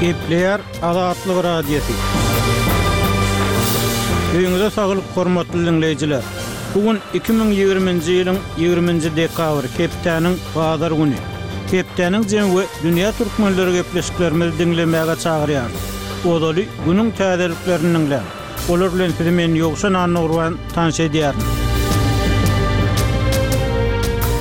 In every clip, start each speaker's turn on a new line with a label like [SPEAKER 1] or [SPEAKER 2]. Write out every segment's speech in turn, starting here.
[SPEAKER 1] Gepleýär Azatlyk Radiosy. Öýüňize saglyk hormatly diňleýjiler! Bu gün 2020-nji ýylyň 20-nji dekabry, hepdäniň bazar güni. Hepdäniň jemi we dünýä türkmenleri gepleşiklerimizi diňlemäge çagyrýarys. Ozaly günüň täzeliklerini diňläň. Olar bilen sizi men Ýowşan Annagurban tanyş edýärin.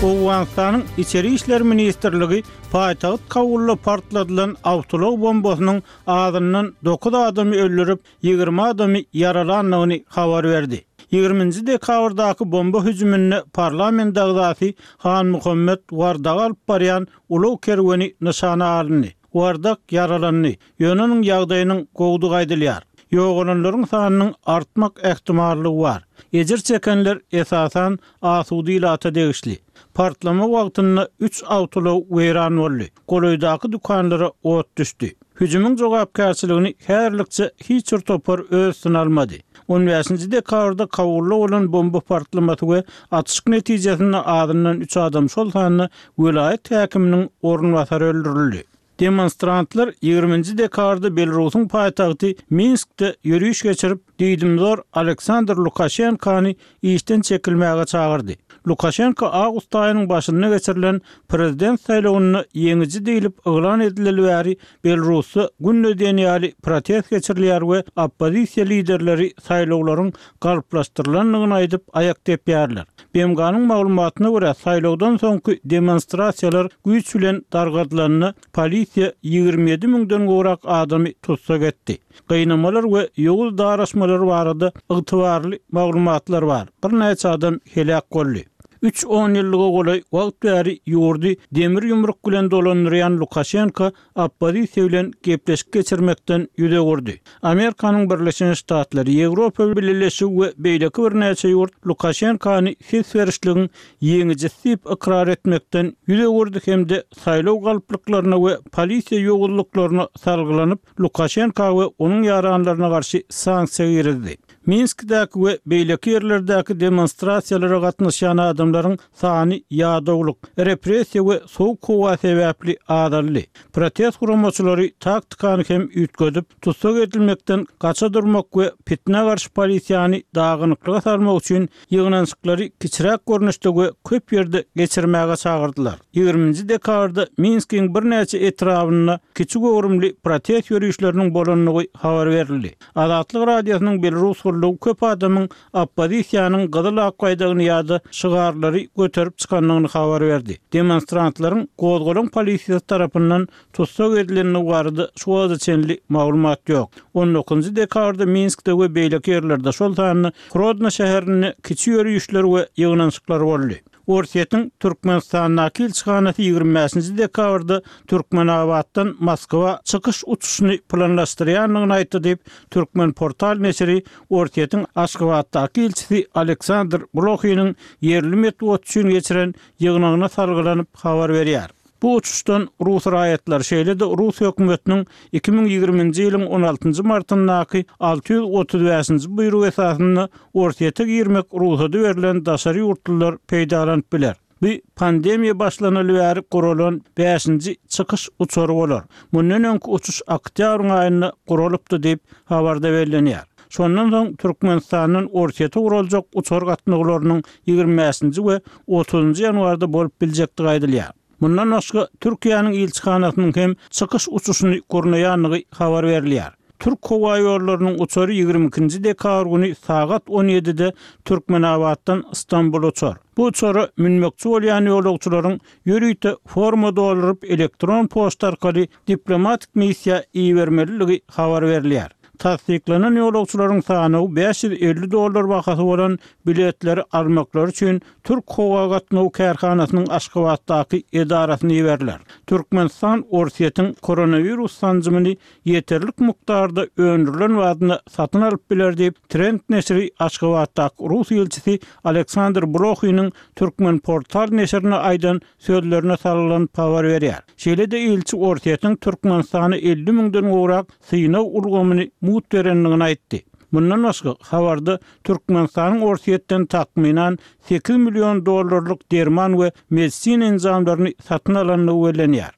[SPEAKER 1] Owganystanyň Içeri işler ministrligi paýtagt Kabulda partladylan awtoulag bombasynyň azyndan dokuz adamy öldürip, 20 adamy ýaralandygyny habar berdi. Ýigriminji dekabrdaky bomba hüjüminde parlament agzasy Hanmuhammet Wardagy alyp barýan ulag kerweni nyşana alyndy. Wardak ýaralandy, ýöne onuň ýagdaýynyň gowudygy aýdylýar. Ýogalanlaryň sanynyň artmak ähtimallygy bar. Ejir çekenler, esasan, asuda ilata degişli. Partlama wagtynda üç awtoulag weýran boldy, golaýdaky dükanlara ot düşdi. Hüjümiň jogapkärçiligini häzirlikçe hiç bir topar öz üstüne almady. On bäşinji dekabrda Kabulda bolan bomba partlamasy we atyşyk netijesinde azyndan üç adam, şol sanda welaýat häkiminiň orunbasary öldürildi. Demonstrantlar ýigriminji dekabrda Belarusyň paýtagty Minskde ýöriş geçirip, diýdimzor Aleksandr Lukaşenkany işden çekilmäge çagyrdy. Lukaşenko awgust aýynyň başynda geçirilen prezident saýlawynda ýeňiji diýlip yglan edileli bäri Belarusda günde diýen ýaly protest geçirilýär we oppozisiýa liderleri saýlawlaryň galplaşdyrylandygyny aýdyp aýak depýärler. BMG-niň maglumatyna görä, saýlawdan soňky demonstrasiýalar güýç bilen dargadylanda polisiýa 27 müňden gowrak adamy tussag etdi. Gynamalar we ýowuz daraşmalar barada ygtybarly maglumatlar bar. Birnäçe adam heläk boldy. Üç onýyllyga golaý wagt bäri ýurdy demir ýumruk bilen dolandyrýan Lukaşenko oppozisiýa bilen gepleşik geçirmekden ýüz öwürdi. Amerikanyň Birleşen Ştatlary, Ýewropa Bileleşigi we beýleki birnäçe ýurt Lukaşenkony ses berişligiň ýeňijisi diýip ykrar etmekden ýüz öwürdi hem-de saýlaw galplyklaryna we polisiýa ýowuzlyklaryna salgylanyp, Lukaşenka we onuň ýaranlaryna garşy sanksiýa girizdi. Minskdäki we beýleki ýerlerdäki demonstrasiýalara gatnaşýan adamlaryň sany ýadawlyk, repressiýa we sowuk howa sebäpli azaldy. Protest guramaçylary taktikany hem üýtgedip, tussag edilmekden gaça durmak we pitnä garşy polisiýany dagynyklyga salmak üçin ýygnanyşyklary kiçiräk görnüşde we köp ýerde geçirmäge çagyrdylar. Ýigriminji dekabrda Minskiň birnäçe etrabynda kiçi göwrümli protest ýörişleriniň bolandygy habar berildi. Azatlyk Radiosynyň Belarus gullugy köp adamyň oppozisiýanyň gyzyl-ak baýdagyny ýa-da şygarlary göterip çykandygyny habar berdi. Demonstrantlaryň gozgalaň polisiýasy tarapyndan tussag edilendigi barada şu wagta çenli maglumat ýok. On dokuzynjy dekabrda Minskde we beýleki ýerlerde, şol sanda Hrodno şäherinde kiçi ýörişler we ýygnanyşyklar boldy. Orsýetiň Türkmenistandaky ilçihanasy 25-nji dekabrda Türkmenabatdan Moskwa çykyş uçuşyny planlaşdyrýandygyny aýtdy diýip, Türkmenportal neşiri Orsýetiň Aşgabatdaky ilçisi Aleksandr Blohiniň ýerli metbugat üçin geçiren ýygnagyna salgylanyp habar berýär. Bu uçuşdan rus raýatlary, şeýle-de rus hökümetiniň 2020-nji ýylyň on altynjy martyndaky 635-nji buýrugy esasynda Orsýete girmek rugsady berlen daşary ýurtlular peýdalanyp biler. Bu pandemiýa başlanaly bäri guralan bäşinji çykyş uçary bolar. Mundan öňki uçuş oktýabryň aýynda guralypdy diýip, habarda bellenýär. Şondan soň Türkmenistandan Orsýete guraljak uçar gatnawlarynyň 25-nji we otuzynjy ýanwarda bolup biljekdigi aýdylýar. Mundan başga, Türkiýäniň ilçihanasynyň hem çykyş uçuşyny gurnaýandygy habar berilýär. Türk howaýollarynyň uçary 22-nji dekabr güni sagat on ýedide Türkmenabatdan Stambula uçar. Bu uçara münmekçi bolýan ýolagçylaryň ýörite forma dolduryp elektron poçta arkaly diplomatik missiýa ibermelidigi habar berilýär. Tassyklanan ýolagçylaryň sanawy 550 dollar bahasy bolan biletleri almaklary üçin Türk howa gatnaw kärhanasynyň Aşgabatdaky edarasyna iberiler. Türkmenistan Orsýetiň koronawirus sanjymyny ýeterlik mukdarda öndürilen badyna satyn alyp biler diýip, Trend neşiri Aşgabatdaky rus ilçisi Aleksandr Blohiniň Türkmenportal neşirine aýdan sözlerine salgylanyp habar berýär. Şeýle-de ilçi Orsýetiň Türkmenistana 50 müňden gowrak synag ulgamyny mugt berendigini aýtdy. Mundan başga, habarda Türkmenistanyň Orsýetden takmynan 8 million dollarlyk derman we medisina enjamlaryny satyn alandygy bellenýär.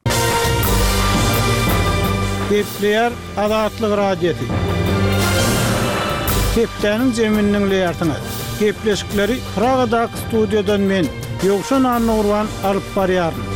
[SPEAKER 1] Gepleýär Azatlyk Radiosy. Hepdäniň jemini diňleýärsiňiz. Gepleşikleri Pragadaky studiýadan men, Ýowşan Annagurban alyp barýaryn.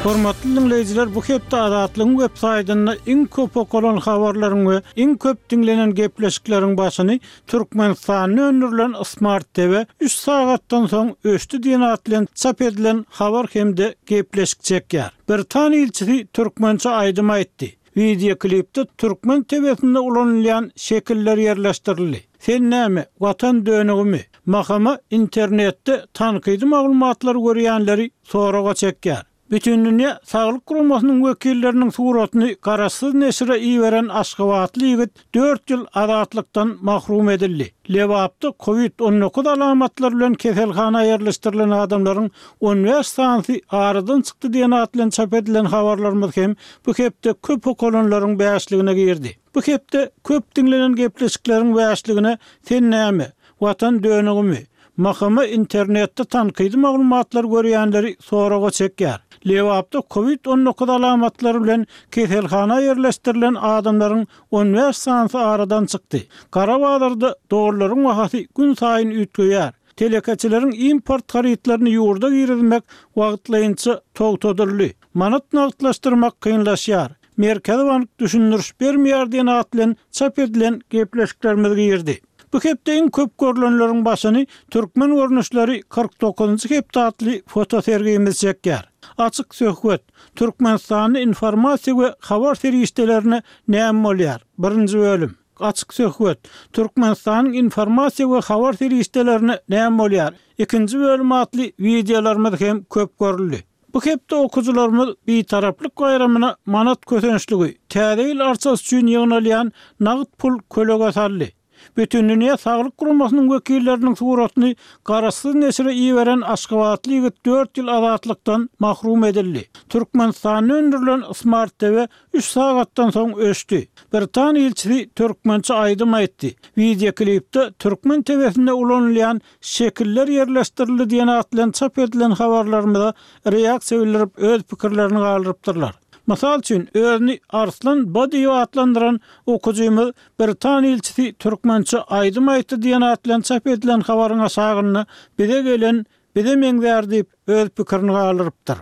[SPEAKER 1] Hormatly diňleýjiler, bu hepde Azatlygyň web saýtynda iň köp okalan habarlaryň we iň köp diňlenen gepleşikleriň başyny Türkmenistanda öndürilen Smart TV üç sagatdan soň öçdi diýen at bilen çap edilen habar hem-de gepleşik çekýär. Britan ilçisi türkmençe aýdym aýtdy. Wideoklipde türkmen TW-sinde ulanylýan şekiller ýerleşdirildi. Sen näme, Watan dönügimi? Mahama internetde tankydy maglumatlary görýänleri soraga çekýär. Bütindünýä Saglyk Guramasynyň wekilleriniň suratyny garaşsyz neşire iberen aşgabatly ýigit dört ýyl azatlykdan mahrum edildi. Lebapda kowid 19 alamatlary bilen keselhana ýerleşdirilen adamlaryň on bäş sanysy aradan çykdy diýen at bilen çap edilen habarlarymyz hem bu hepde köp okalanlaryň bäşligine girdi. Bu hepde köp diňlenen gepleşikleriň bäşligine Sen näme, Watan dönügimi? MHM internetde tankydy maglumatlary görýänleri soraga çekýär. Lebapda kowid 19 alamatlary bilen keselhana ýerleşdirilen adamlaryň on bäş sanysy aradan çykdy. Gara bazarda dollaryň bahasy günsaýyn üýtgeýär. Telekeçileriň import harytlaryny ýurda girizmek wagtlaýynça togtadyldy. Manat nagtlaşdyrmak kynlaşýar. Merkezi bank düşündiriş bermeýär diýen at bilen çap edilen gepleşiklerimiz girdi. Bu hepde iň köp görlenleriň başyny Türkmen görnüşleri 49-njy hepde atly fotosergimiz çekýär. Açyk söhbet, Türkmenistanda informasiýa we habar serişdelerine näme bolýar? Birinji bölüm. Açyk söhbet, Türkmenistanyň informasiýa we habar serişdelerine näme bolýar? Ikinji bölüm atly wideolarymyz hem köp görüldi. Bu hepde okyjylarymyz Bitaraplyk baýramyna manat kösençligi, Täze ýyl arçasy üçin ýygnalýan nagt pul kölege saldy. Bütindünýä Saglyk Guramasynyň wekilleriniň suratyny garaşsyz neşire iberen aşgabatly ýigit dört ýyl azatlykdan mahrum edildi. Türkmenistanda öndürilen Smart TV üç sagatdan soň öçdi. Britan ilçisi türkmençe aýdym aýtdy. Wideoklipde türkmen TW-sinde ulanylýan Şekiller ýerleşdirildi diýen at bilen çap edilen habarlarymyza reaksiýa bildirip öz pikirlerini galdyrypdyrlar. Mysal üçin, özüni Arslan B diýip atlandyran okyjymyz Britan ilçisi türkmençe aýdym aýtdy diýen at bilen çap edilen habaryň aşagynda bize gelen bize meňzär diýip öz pikirini galdyrypdyr.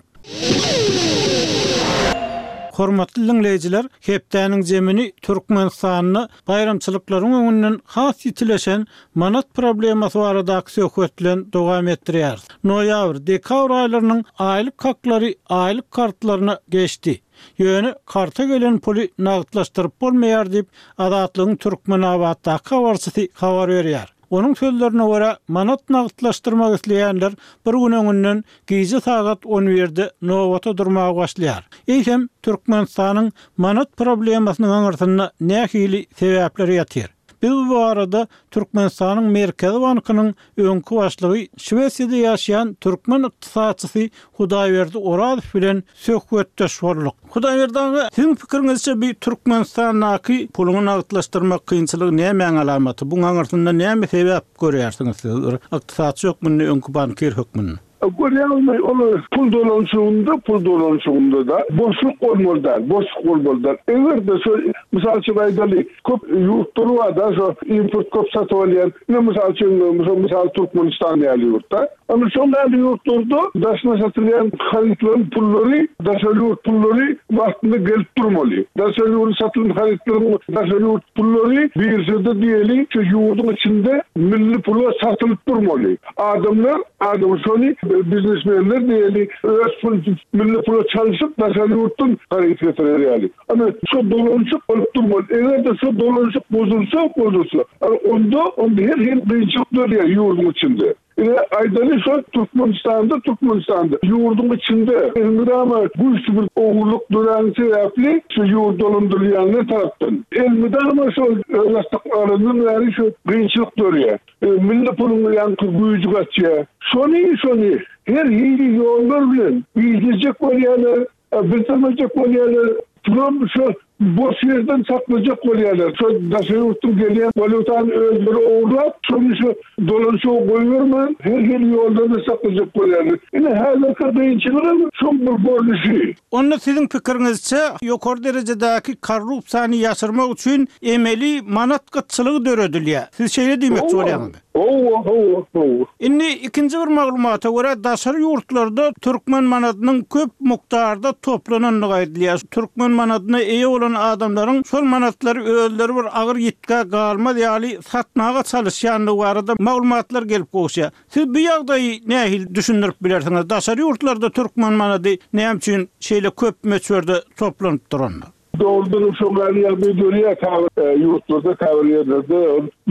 [SPEAKER 1] Hormatly diňleýjiler, hepdäniň zemini Türkmenistanda baýramçylyklaryň öňünden has ýitileşen manat problemasy baradaky söhbet bilen dowam etdirýäris. Noýabr, dekabr aýlarynyň aýlyk haklary aýlyk kartlaryna geçdi. Ýöne karta gelen puly nagtlaşdyryp bolmaýar diýip, Azatlygyň Türkmenabatdaky habarçysy habar berýär. Onuň sözlerine görä, manat nagtlaşdyrmak isleýänler bir gün öňünden gije sagat on birde nobata durmaga başlaýar. Eýsem, Türkmenistanyň manat problemasynyň aňyrsynda nähili sebäpler ýatyr? Biz bu barada Türkmenistanyň Merkezi bankynyň öňki başlygy, Şwesiýada ýaşaýan türkmen ykdysatçysy Hudaýberdi Orazow bilen söhbetdeş bolduk. Hudaýberdi aga, siziň pikiriňizçe bi Türkmenistandaky puluňy nagtlaşdyrmak kynçylygy nämäň alamaty? Buň aňyrsynda näme sebäp görýärsiňiz siz bir ykdysatçy hökmünde, öňki bankir hökmünde?
[SPEAKER 2] Görýäňizmi, ol pul dolanyşygynda, pul dolanyşygynda-da boşluk bolmaly däl, boşluk bolmaly däl. Eger-de şo, mysal üçin aýdaly, köp ýurtlar bar-da, şo import köp satyp alýan, ine mysal üçin, mysal Türkmenistan ýaly ýurt-da. Ana şol ýaly ýurtlarda daşyna satylýan harytlaryň pullary, daşary ýurt pullary wagtynda gelip durmaly. Daşary ýurda satylan harytlaryň daşary ýurt pullary biržada diýeli şu ýurduň içinde milli pula satylyp durmaly. Adamlar, adam şony biznesmenler diýeli öz pul milli pula çalşyp daşary ýurtdan haryt getirer ýaly. Ana şo dolanyşyk bolup durmaly. Eger-de şo dolanyşyk bozulsa, bozulsa, ana onda, onda her hili kynçylyk dörýär ýurduň içinde. Ine, aýdaly şo Türkmenistanda, Türkmenistanda ýurduň içinde elmydama güýçli bir ogurlyk döräni sebäpli şu ýurt dolandyrylýanlar tarapdan elmydama şol özbaşdak alandan bäri şu kynçylyk dörýär. Milli puluň ýaňky güýji gaçýar. Şony, şony her hili ýollar bilen gizlejek bolýarlar. Bildirmejek bolýarlar. Pulam şo. Boş ýerden saklajak bolýarlar. Şo daşary ýurtdan gelýän walýutany özleri ogurlap, şony şu dolanyşyga goýbermän, her hili ýoldan-da saklajak bolýarlar. Ine, häzirki kynçylygam şoň bir görnüşi.
[SPEAKER 1] Onda siziň pikiriňizçe, ýokary derejedäki korrupsiýany ýaşyrmak üçin emeli manat gytçylygy döredilýär. Siz şeýle diýmekçi bolýaňyzmy?
[SPEAKER 2] Hawa, hawa, hawa.
[SPEAKER 1] Indi ikinji bir maglumata görä, daşary ýurtlarda türkmen manadynyň köp mukdarda toplanandygy aýdylýar. Türkmen manadyna eýe bolan adamlaryň şol manatlary özleri bir agyr ýitgä galmaz ýaly satmaga çalyşýandygy barada maglumatlar gelip gowuşýar. Siz bu ýagdaýy nähili düşündirip bilersiňiz? Daşary ýurtlarda türkmen manady näme üçin şeýle köp möçberde toplanyp duranda?
[SPEAKER 2] Dogrudanam şoň ýaly ýagdaý dörýär käbir ýurtlarda, käbir ýerlerde.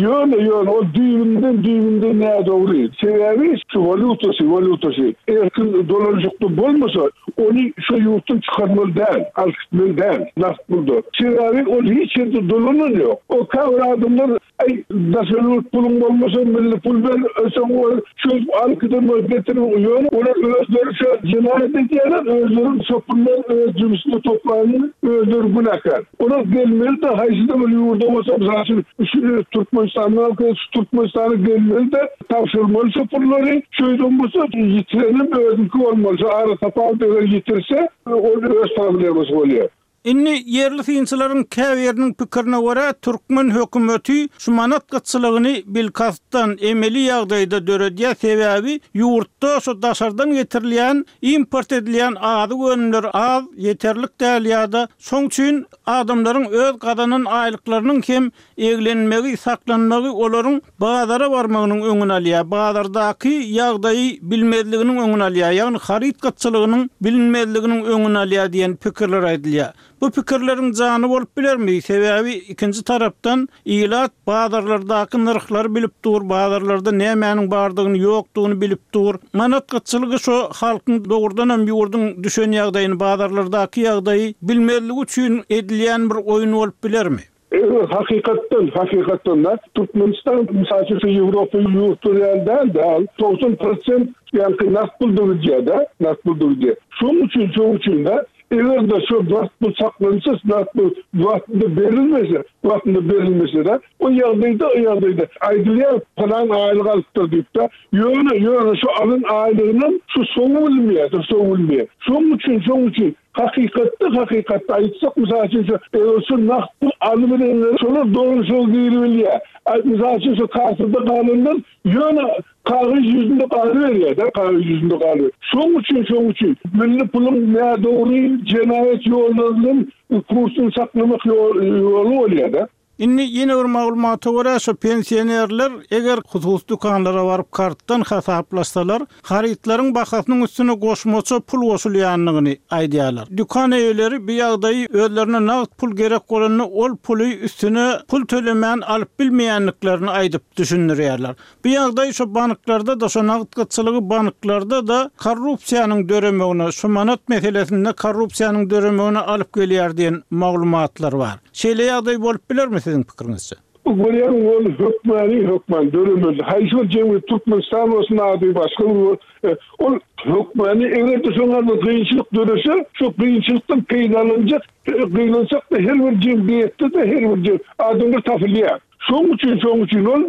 [SPEAKER 2] Ýöne, ýöne ol düýbünden, düýbünden nädogry. Sebäbi şu walýutasy, walýutasy erkin dolanyşykda bolmasa, ony şo ýurtdan çykarmaly däl, alyp gitmeli däl nagt pulda. Sebäbi ol hiç ýerde dolanan ýok. O käbir adamlar Aý, daşary ýurt puluň bolmasa, milli pul ber, soň ol çözüp alyp giden bolup getirip, ýöne olar özleri şo jenaýat edýärler, özleri şo pullary öz jübüsine toplanyny özleri günäkär. Olar gelmeli-de, haýsy-da bir ýurda bolsa, mysal üçin, şu Türkmenistandan alyp gelse, şu Türkmenistana gelmeli-de, tabşyrmaly şo pullary, şeýdem bolsa, ýitirenem özüniňki bolmaly, şo aratapawut eger ýitirse, ol öz problemasy bolýar.
[SPEAKER 1] Indi ýerli synçylaryň käbiriniň pikirine görä, türkmen hökümeti şu manat gytçylygyny bilkastdan, emeli ýagdaýda döredýär, sebäbi ýurtda şu daşardan getirilýän, import edilýän azyk önümleri az, ýeterlik däl ýa-da şoň üçin adamlaryň öz gazanan aýlyklarynyň hem eglenmegi, saklanmagy olaryň bazara barmagynyň öňüni alýar, bazardaky ýagdaýy bilmezliginiň öňüni alýar, ýagny haryt gytçylygynyň bilinmezliginiň öňüni alýar diýen pikirler aýdylýar. Bu pikirleriň jany bolup bilermi? Sebäbi ikinji tarapdan ilat bazarlardaky nyrhlary bilip dur, bazarlarda nämäniň bardygyny, ýokdugyny bilip dur. Manat gytçylygy şo halkyň dogrudanam ýurduň düşen ýagdaýyny, bazarlardaky ýagdaýy bilmezligi üçin edilýän bir oýun bolup bilermi?
[SPEAKER 2] Eger hakykatdan, hakykatdan-da Türkmenistan, mysal üçin, şu Ýewropa ýurtlary ýaly däl-de, al 90 prosent ýaňky nagt pulda gidýär-de, nagt pulda gidýär. Şonuň üçin, şonuň üçin-de, eger-de şo nagt pul saklansa, nagt pul wagtynda berilmese, wagtynda berilmese-de, o ýagdaýda, o ýagdaýda aýdylýar, pylan aýlyk alypdyr diýip-de, ýöne, ýöne şo alan aýlygynam şu soňy bilinmeýär, şu soňy bilinmeýär. Şonuň üçin, şonuň üçin Hakykatda hakykatda aýtsak mysal üçin şu eger şu nagt pul alybilenler şolar dogry şo giribilýär. Aý mysal üçin şu kassada galanlar ýöne kagyz ýüzünde galyberýär-de kagyz ýüzünde galyber. Şoň üçin şoň üçin milli puluň nädogry jenaýat ýollary bilen kursuny saklamak ýoly bolýar-da.
[SPEAKER 1] Indi ýene bir maglumata görä, şu pensionerler eger hususy dükanlara baryp kartdan hasaplaşsalar, harytlaryň bahasynyň üstüne goşmaça pul goşulýandygyny aýdýarlar. Dükan eýeleri bu ýagdaýy özlerine nagt pul gerek bolanda ol puly üstüne pul tölemän alyp bilmeýändiklerini aýdyp düşündirýärler. Bu ýagdaý şu banklarda-da, şu nagt gytçylygy banklarda-da korrupsiýanyň döremegine, şu manat meselesinde korrupsiýanyň döremegine alyp gelýär diýen maglumatlar bar. Şeýle ýagdaý bolup bilermi siziň pikiriňizçe?
[SPEAKER 2] Bu görýäň ol hökmany hökman döremeli. Haýsy bir jemgyýet Türkmenistan bolsun ady başga bir ol hökmany eger-de şoňa bir kynçylyk dörese şo kynçylykdan peýdalanjak gynansak-da her bir jemgyýetde-de her bir adamlar tapylýar. Şoň üçin, şoň üçin ol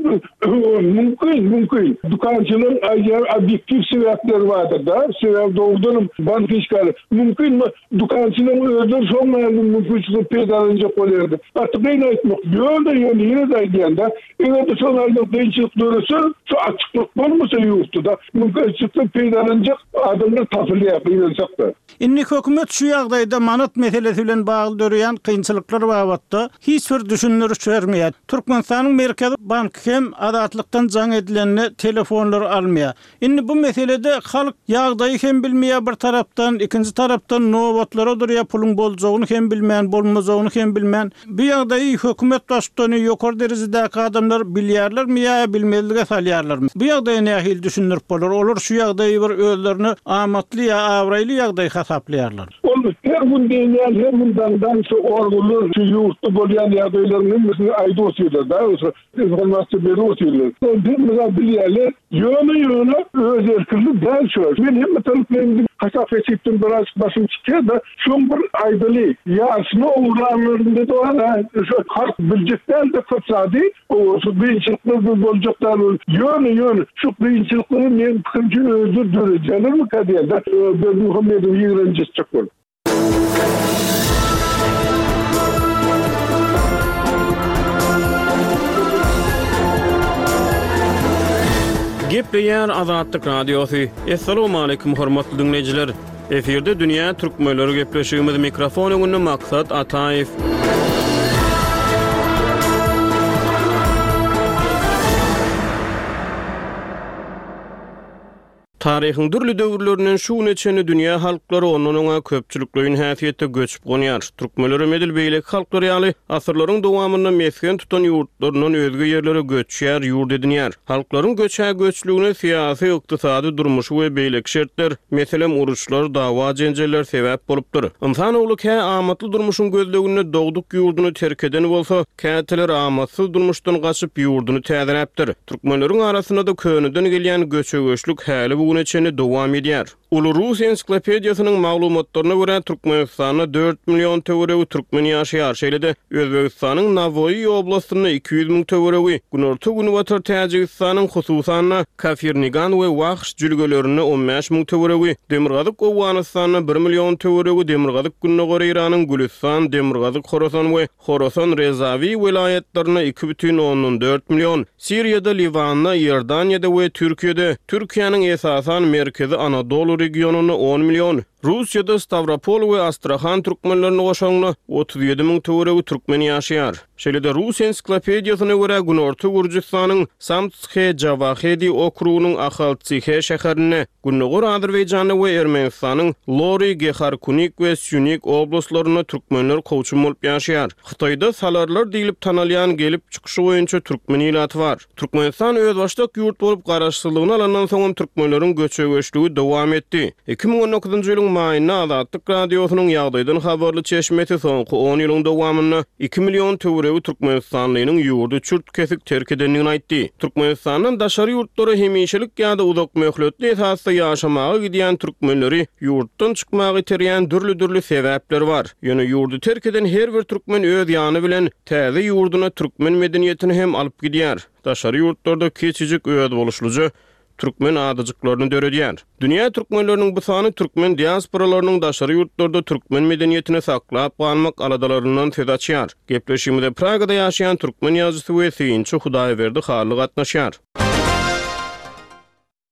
[SPEAKER 2] mümkin, mümkin. Dükançylaryň aýdýan obýektiw sebäpleri bardyr-da. Sebäbi dogrudanam bank işgäri mümkin dükançylaryň özleri şoň ýaly mümkinçilikden peýdalanjak bolýardy. Gaty kyn aýtmak. Ýöne, ýöne ýene-de aýdýan-da, eger-de şoň ýaly kynçylyk dörese, şu açyklyk bolmasa ýurtda-da, mümkinçilikden peýdalanjak adamlar tapylýar, gynansak-da.
[SPEAKER 1] Indi hökümet şu ýagdaýda manat meselesi bilen bagly döreýän kynçylyklar babatda hiç bir düşündiriş bermeýär. Türkmenistanyň Merkezi banky hem Azatlykdan jaň edilende telefonlary almaýar. Indi bu meselede halk ýagdaýy hem bilmeýär bir tarapdan, ikinji tarapdan nobatlara durýar puluň boljagyny hem bilmän, bolmajagyny hem bilmän. Bu ýagdaýy hökümet baştutany, ýokary derejedäki adamlar bilýärlermi ýa bilmezlige salýarlarmy? Bu ýagdaýy nähili düşündirip bolar? Olar şu ýagdaýy bir özlerine amatly ýa abraýly ýagdaý hasaplaýarlar.
[SPEAKER 2] Ol. Ol her gün diýen ýaly, her gün daňdan şu organlar şu ýurtda bolýan ýagdaýlaryň hemmesini aýdyp otyrlar-da, şu informasiýa berip otyrlar. Ol hemme zat bilýärler. Ýöne, ýöne öz erkinli däl şu. Men hemme taraplaýyn hasap-hesipden birazjyk başym çykýar-da, şoň bir aýdaly, ýarysyny ogurlanlarynda-da bar-a, şu halk biljek däl-de köp zady. Şu kynçylyklar bir boljak däl ol. Ýöne, ýöne şu kynçylyklary meň pikirimçe özleri döredýärlermikä diýen-de, Berdimuhamedowy ýigrenji etjek bolup.
[SPEAKER 3] Gepleýär Azatlyk Radiosy. Assalamualaikum hormatly diňleýjiler. Efirde dünýä türkmenleri gepleşigimiz mikrofon öňünde Maksat Ataýew. Taryhyň dürli döwürlerinden şu güne çenli dünýä halklary ondan oňa köpçülikleýin häsiýetde göçüp gonýar. Türkmenlerem edil beýleki halklar ýaly asyrlaryň dowamynda mesgen tutan ýurtlaryndan özge ýerlere göçýär, ýurt edinýär. Halklaryň göçhä-göçlügine syýasy, ykdysady, durmuşy we beýleki şertler, meselem, uruşlar, dawa-jenjeller sebäp bolupdyr. Ynsan ogly kä amatly durmuşyň gözleginde dogduk ýurduny terk eden bolsa, käteler amatsyz durmuşdan gaçyp, ýurduny täzeläpdir. Türkmenleriň arasynda-da köneden gelýän göçe-göçlük häli bu güne çenli dowam edýär. Uly rus ensiklopediýasynyň maglumatlaryna görä, Türkmenistanda dört million töweregi türkmen ýaşaýar, şeýle-de Özbegistanyň Nawoýy oblastynda 200 müň töweregi, günorta-günbatar Täjigistanyň, hususan-da, Kafirnigan we Wahş jülgelerinde 15 müň töweregi, demirgazyk Owganystanda bir million töweregi, demirgazyk-gündogar Eýranyň Gülüstan, demirgazyk Horasan we Horasan Rezawi welaýatlarynda 2,4 million, Siriýada, Liwanda, Iordaniýada we Türkiýede, Türkiýäniň esasan Merkezi Anadolu regionynda on million, Russiýada Stawropol we Astrahan türkmenlerini goşaňda, 37 müň töweregi türkmen ýaşaýar. Şeýle-de rus ensiklopediýasyna görä, Günorta Gürjüstanyň Samtshe-Jawahedi okrugynyň Ahaltsihe şäherinde, Gündogar Azerbaýjanda we Ermenistanyň Lori, Geharkunik we Sýunik oblastlarynda türkmenler kowçum bolup ýaşaýar. Hytaýda salarlar diýlip tanalýan gelip çykyşy boýunça türkmen ilaty bar. Türkmenistan özbaşdak ýurt bolup garaşsyzlygyny alandan soňam türkmenleriň göçe-göçlügi dowam etdi. 2019-njy ýylyň maýynda Azatlyk Radiosynyň ýagdaýdan habarly çeşmesi soňky on ýylyň dowamynda iki million töweregi türkmenistanlynyň ýurdy çürt-kesik terk edendigini aýtdy. Türkmenistandan daşary ýurtlara hemişelik ýa-da uzak möhletli esasda ýaşamaga gidýän türkmenleri ýurtdan çykmaga iterýän dürli-dürli sebäpler bar. Ýöne ýurdy terk eden her bir türkmen öz ýany bilen täze ýurduna türkmen medeniýetini hem alyp gidýär. Daşary ýurtlarda kiçijik özboluşlyja türkmen adajyklaryny döredýär. Dünýä türkmenleriniň bu sany türkmen diasporalarynyň daşary ýurtlarda türkmen medeniýetini saklap galmak aladalaryndan söz açýar. Gepleşigimize Pragada ýaşaýan türkmen ýazyjysy we synçy Hudaýberdi Hally gatnaşýar.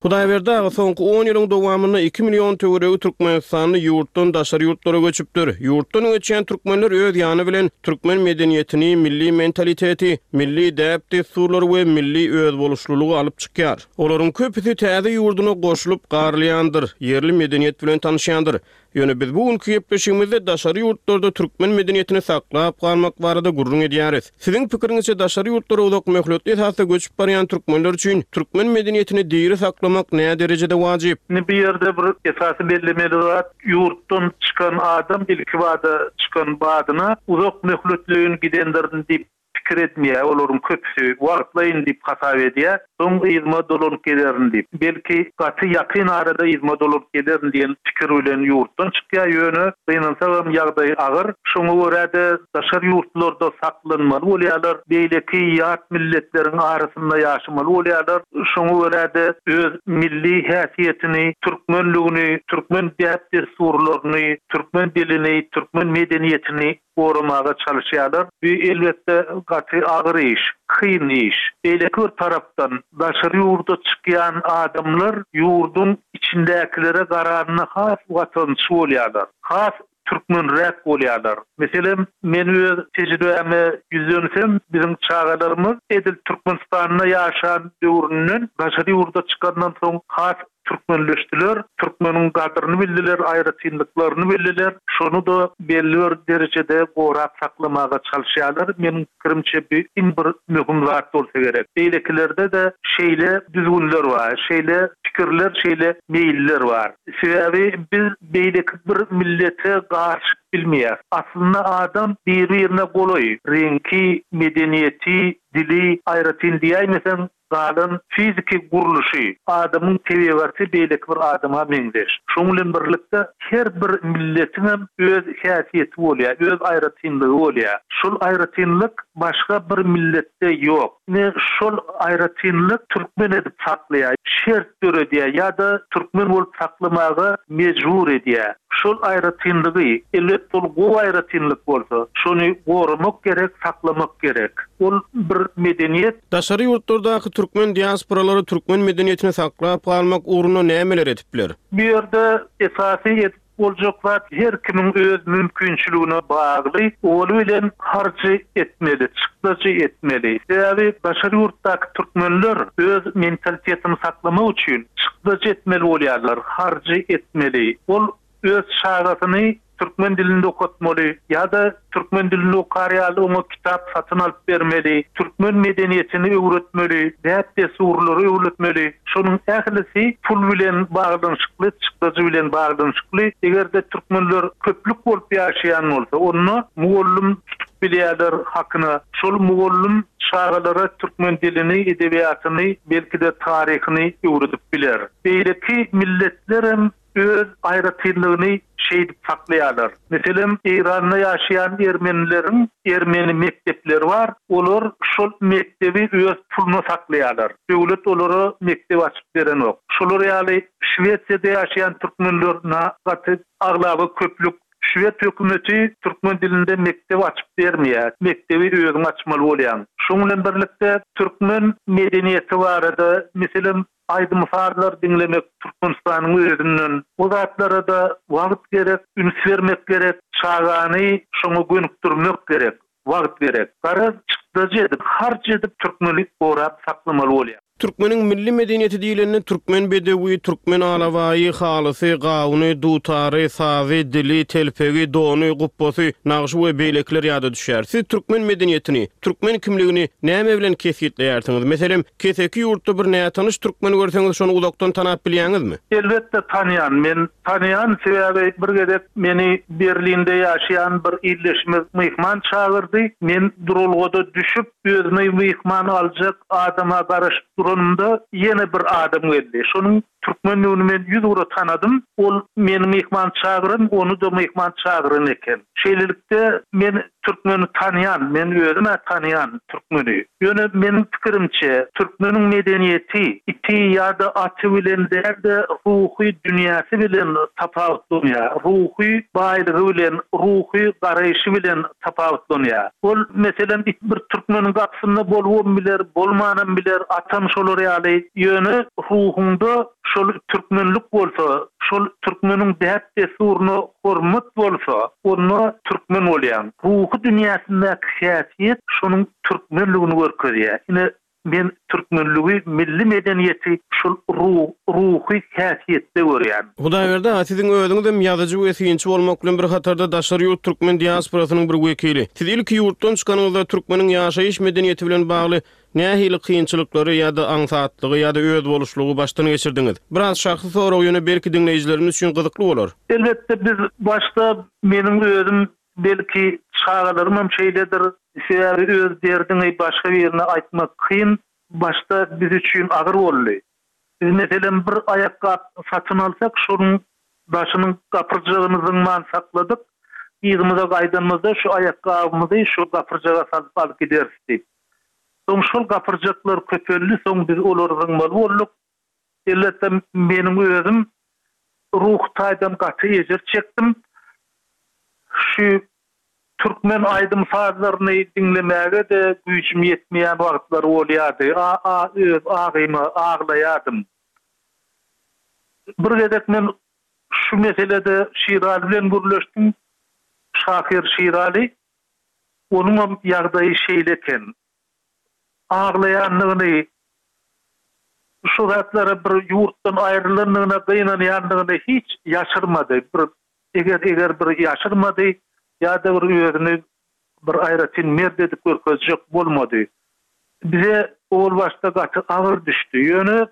[SPEAKER 3] Hudaýberdi aga, soňky on ýylyň dowamynda iki million töweregi türkmenistanly ýurtdan daşary ýurtlara göçüpdir. Ýurtdan göçýän türkmenler öz ýany bilen türkmen medeniýetini, milli mentaliteti, milli däp-dessurlary we milli özboluşlylygy alyp çykýar. Olaryň köpüsi täze ýurduna goşulyp garylýandyr, ýerli medeniýet bilen tanyşýandyr. Ýöne biz bu günki gepleşigimizde daşary ýurtlarda türkmen medeniýetini saklap galmak barada gürrüň edýäris. Siziň pikiriňizçe daşary ýurtlara uzak möhletli esasda göçüp barýan türkmenler üçin türkmen medeniýetini diri saklamak näderejede wajyp?
[SPEAKER 4] Indi bu ýerde bir esasy bellemeli zat, ýurtdan çykan adam ilkibada çykan badyna uzak möhletleýin gidendirin diýip pikir etmeýär, olaryň köpüsi wagtlaýyn diýip hasap edýär, soň yzyma dolanyp gelerin diýip. Belki, gaty ýakyn arada yzyma dolanyp gelerin diýen pikir bilen ýurtdan çykýar, ýöne gynansagam ýagdaý agyr. Şoňa görä-de daşary ýurtlarda saklanmaly bolýarlar, beýleki ýat milletleriň arasynda ýaşamaly bolýarlar. Şoňa görä-de öz milli häsiýetini, türkmenligini, türkmen däp-dessurlaryny, türkmen dilini, türkmen medeniýetini goramaga çalyşýarlar. Bu, elbetde, gaty agyr iş, kyn iş. Beýleki bir tarapdan, daşary ýurda çykýan adamlar ýurduň içindäkilere garanda has watançy bolýarlar, has türkmenräk bolýarlar. Meselem, men öz tejribäme ýüzlensem, biziň çagalarymyz edil Türkmenistanda ýaşan döwründen daşary ýurda çykandan soň has. Türkmenleşdiler, türkmeniň gadyryny bildiler, aýratynlyklaryny bildiler. Şony-da belli bir derejede gorap saklamaga çalyşýarlar. Meniň pikirimçe bu iň bir möhüm zat bolsa gerek. Beýlekilerde-de şeýle düzgünler bar, şeýle pikirler, şeýle meýiller bar. Sebäbi biz beýleki bir millete garyşyp bilmeýäris. Aslynda adam bir-birine golaý, reňki, medeniýeti, dili aýratyn diýäýmeseň, galan fiziki gurluşy, adamyň tebigaty beýleki bir adama meňzeş. Şonuň bilen birlikde her bir milletiňem öz häsiýeti bolýar, öz aýratynlygy bolýar. Şol aýratynlyk başga bir milletde ýok. Ine, şol aýratynlyk türkmen edip saklaýar, şert döredýär ýa-da türkmen bolup saklamaga mejbur edýär. Şol aýratynlygy, elbetde ol gowy aýratynlyk bolsa, şony goramak gerek, saklamak gerek. Ol bir medeniýet.
[SPEAKER 3] Daşary ýurtlardaky türkmen diasporalary türkmen medeniýetini saklap galmak ugrunda nämeler edip biler?
[SPEAKER 4] Bu ýerde esasy edip boljak zat her kimiň öz mümkinçiligine bagly, owaly bilen harjy etmeli, çykdajy etmeli. Sebäbi daşary ýurtdaky türkmenler öz mentalitetini saklamak üçin çykdajy etmeli bolýarlar, harjy etmeli. Ol öz çagasyny türkmen dilinde okatmaly ýa-da türkmen dilinde okar ýaly oňa kitap satyn alyp bermeli, türkmen medeniýetini öwretmeli, däp-dessurlary öwretmeli. Şonuň ählisi pul bilen baglanyşykly, çykdajy bilen baglanyşykly. Eger-de türkmenler köplük bolup ýaşaýan bolsa, onda mugallym tutup bilýärler hakyna. Şol mugallym çagalara türkmen dilini, edebiýatyny, belki-de taryhyny öwredip biler. Beýleki milletlerem öz aýratynlygyny şeýdip saklaýarlar. Meselem, Eýranda ýaşaýan ermenileriň ermeni mekdepleri bar, olar şol mekdebi öz puluna saklaýarlar. Döwlet olara mekdep açyp berenok. Şolar ýaly Şwesiýada ýaşaýan türkmenler na gaty aglaba köplük. Şwed hökümeti türkmen dilinde mekdep açyp bermeýär. Mekdebi özüň açmaly bolýaň. Şoň bilen birlikde türkmen medeniýeti barada, meselem, Aýdym-sazlar diňlemek Türkmenistanyň özünden. O zatlara-da wagt gerek, üns bermek gerek, çagany şoňa gönükdirmek gerek, wagt gerek. Garaz, çykdajy edip, harç edip türkmeni gorap saklamaly bolýar.
[SPEAKER 3] Türkmeniň milli medeniýeti diýlende türkmen bedewi, türkmen alabaýy, halysy, gawuny, dutary, sazy, dili, telpegi, dony, gupbasy, nagşy we beýlekiler ýada düşýär. Siz türkmen medeniýetini, türkmen kimligini näme bilen kesgitleýärsiňiz? Meselem, Keseki ýurtda bir nätanyş türkmeni görseňiz şony uzakdan tanap bilýäňizmi?
[SPEAKER 4] Elbetde tanýan. Men tanýan, sebäbi bir gezek meni Berlinde ýaşaýan bir ildeşimiz myhman çagyrdy. Men duralgada düşüp, özüni myhman aljak adama garaşyp duranymda ýene bir adam geldi. Şonuň türkmendigini men ýüzugra tanadym. Ol meni myhman çagyran, ony-da myhman çagyran eken. Şeýlelikde, men Türkmeni tanýan, men özüm-ä tanýan türkmeni. Ýöne meniň pikirimçe, türkmeniň medeniýeti iti ýa-da aty bilen däl-de, ruhy dünýäsi bilen tapawutlanýar, ruhy baýlygy bilen, ruhy garaýşy bilen tapawutlanýar. Ol, meselem, it bir türkmeniň gapysynda bolubam biler, bolmanam biler, atam şolar ýaly. Ýöne ruhuňda şol türkmenlik bolsa, şol türkmeniň däp-dessuryna hormat bolsa, onda türkmen bolýaň. Ruhy dünýäsindäki häsiýet şonuň türkmenligini görkezýär. Ine, men türkmenligi, milli medeniýeti şol ruhy häsiýetde görýän.
[SPEAKER 3] Hudaýberdi aga, siziň özüňizem ýazyjy we synçy bolmak bilen bir hatarda daşary ýurt türkmen diasporasynyň bir wekili. Siz ilki ýurtdan çykanyňyzda türkmeniň ýaşaýyş medeniýeti bilen bagly Nähili kynçylyklary ýa-da aňsatlygy ýa-da özboluşlygy başdan geçirdiňiz? Biraz şahsy sorag ýöne belki diňleýjilerimiz üçin gyzykly bolar.
[SPEAKER 4] Elbetde biz başda meniň özüm belki çagalarymam şeýledir sebäbi öz derdiňi başga birine aýtmak kyn başda biz üçin agyr boldy. Biz meselem bir aýakgap satyn alsak şonuň daşynyň gapyrjagyny zyňman sakladyk yzymyza gaýdanymyzda şu aýakgabymyzy şu gapyrjaga salyp alyp gideris diýip. Soň şol gapyrjaklar köpeldi, soň biz olary zyňmaly bolduk. Elbetde, meniň özüm ruhy taýdan gaty ejir çekdim. Şu türkmen aýdym-sazlaryny diňlemäge-de güýjüm ýetmeýän wagtlary bolýardy. A-a öz agyma aglaýardym. Bir gezek men şu meselede Şiraly bilen gürleşdim. Şahyr Şiraly. Onuňam ýagdaýy şeýle eken. Aglaýandygyny. Şu zatlara bir ýurtdan aýrylandygyna gynanýandygyny hiç ýaşyrmady. Bir eger-eger bir ýaşyrmady ýa-da bir özüni bir aýratyn mert edip görkezjek bolmady. Bize owal başda gaty agyr düşdi. Ýöne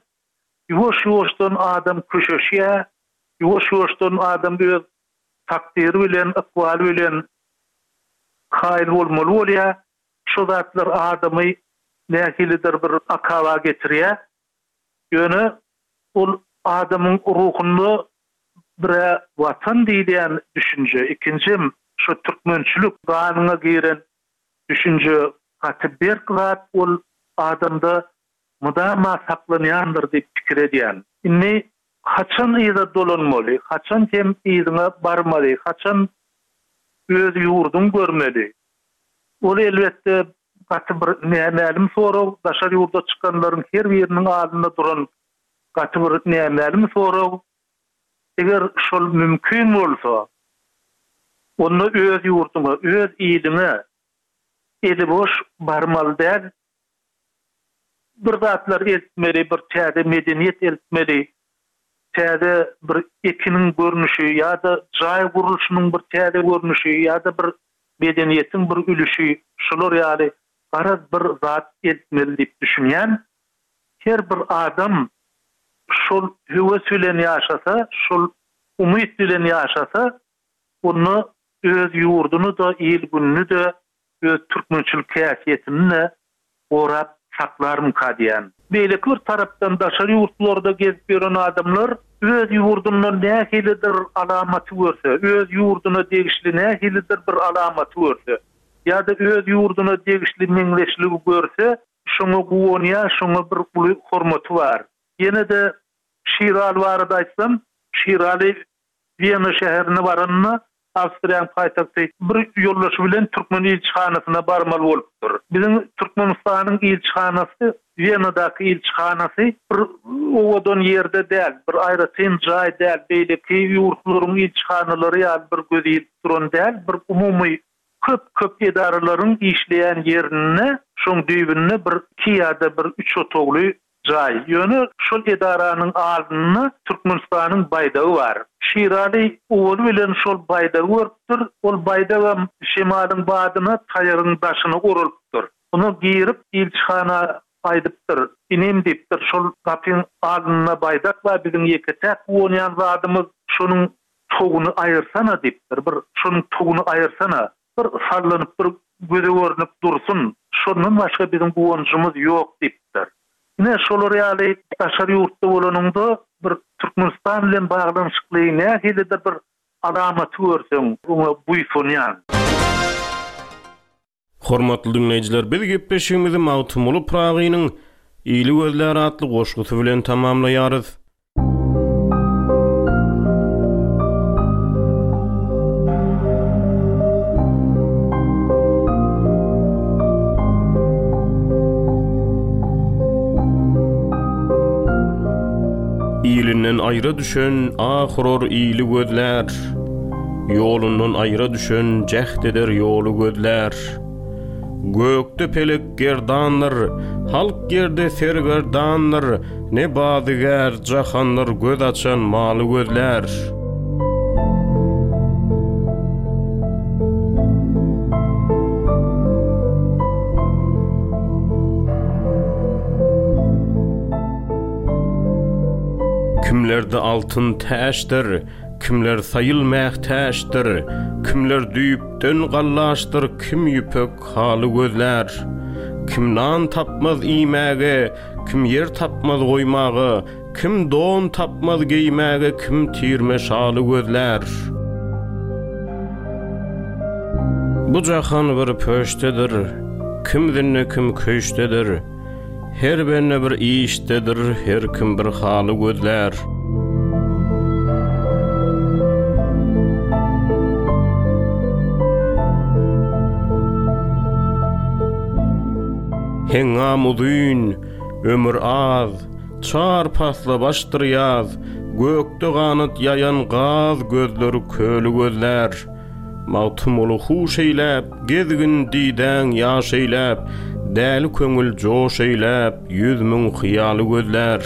[SPEAKER 4] ýuwaş-ýuwaşdan adam köşeşýär, ýuwaş-ýuwaşdan adam öz takdyry bilen, ykbaly bilen kaýyl bolmaly bolýar. Şo zatlar adamy nähilidir bir akaba getirýär. Ýöne ol adamyň ruhunda bir-ä Watan diýilýän düşünje, ikinjem şo türkmençilik ganyňa giren düşünje gaty berk zat, ol adamda mydama saklanýandyr diýip pikir edýän. Indi haçan yza dolanmaly, haçan hem yzyňa barmaly, haçan öz ýurduňy görmeli? Ol elbetde gaty bir nämälim sorag, daşary ýurda çykanlaryň her biriniň alnynda duran gaty bir nämälim sorag. Eger şol mümkin bolsa, onda öz ýurduňa, öz iliňe eli boş barmaly däl. Bir zatlar eltmeli, bir täze medeniýet eltmeli, täze bir ekiniň görnüşi ýa-da jaý gurluşynyň bir täze görnüşi ýa-da bir medeniýetiň bir ülüşi şular ýaly garaz bir zat eltmeli diýip düşünýän. Her bir adam şol höwes bilen ýaşasa, şol umyt bilen ýaşasa, onda öz ýurduny-da, il-gününi-de, öz türkmençilik häsiýetini-de gorap saklarmyka diýýän. Beýleki bir tarapdan daşary ýurtlarda gezip ýören adamlar öz ýurdundan nähilidir alamaty görse, öz ýurduna degişli nähilidir bir alamaty görse ýa-da öz ýurduna degişli meňzeşligi görse, şoňa guwanýar, şoňa bir uly hormaty bar. Ýene-de Şiraly barada aýtsam, Şiraly Wena şäherine baranda, Awstriýanyň paýtagty, bir ýoldaşy bilen türkmen ilçihanasyna barmaly bolupdyr. Biziň Türkmenistanyň ilçihanasy, Wenadaky ilçihanasy bir owadan ýerde däl, bir aýratyn jaý däl, beýleki ýurtlaryň ilçihanalary ýaly bir göz ilip duran däl, bir umumy köp-köp edaralaryň işleýän ýerinde, şoň düýbünde bir iki ýa-da bir üç otagly jaý. Ýöne şol edaranyň alnynda Türkmenistanyň baýdagy bar. Şiraly owaly bilen şol baýdagy görüpdir. Ol baýdagam şemalyň badyna taýagyň daşyna oralypdyr. Oňa girip ilçihana aýdypdyr, Inim diýipdir, şol gapyň alnynda baýdak bar, biziň ýeke-täk guwanýan zadymyz, şonuň toguny aýyrsana diýipdir. Bir şonuň toguny aýyrsana. Bir sallanyp bir göze görnüp dursun, şondan başga biziň guwanjymyz ýok diýipdir. Ine, şolar ýaly daşary ýurtda bolanyňda bir Türkmenistan bilen baglanyşykly nähilidir bir alamaty görseň, oňa buýsanýaň.
[SPEAKER 3] Hormatly diňleýjiler, biz gepleşigimizi Magtymguly Pyragynyň Ili gözlär atly goşgusy bilen tamamlaýarys. Ilinden aýra düşen ah urar ili gözlär. Ýolundan aýra düşen jäht eder ýoly gözlär. Gökde pelek gerdandyr, halk ýerde sergerdandyr, Ne bazygär jahandyr göz açan maly gözlär. Kimlerde altyn täçdir, Kimler saýyl mähtäçdir, Kimler düýpden gallaşdyr, Kim ýüpek haly gözlär. Kim nan tapmaz iýmäge, Kim ýer tapmaz goýmaga, Kim don tapmaz geýmäge, Kim tirme şaly gözlär. Bu jahan bir pöşdedir, Kim zinde kim köşdedir. Her bende bir işdedir, her kim bir haly gözlär. Heňňam uzyn, ömür az, çar pasla başdyr ýaz, Gökde ganat ýaýan gaz gözleri köli gözlär. Magtymguly huş eýläp, gezgin didäň ýaş eýläp, Däli köňül joş eýläp, 100.000 hyýaly gözlär.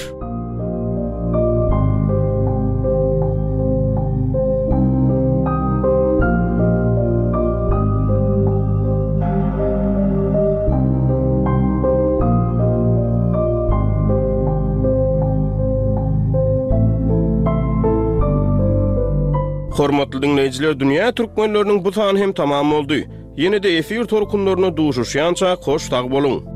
[SPEAKER 3] Hormatly diňleýjiler, dünýä türkmenleriniň bu sany hem tamam boldy. Ýene-de efir tolkunlarynda duşuşýançak hoş sag boluň!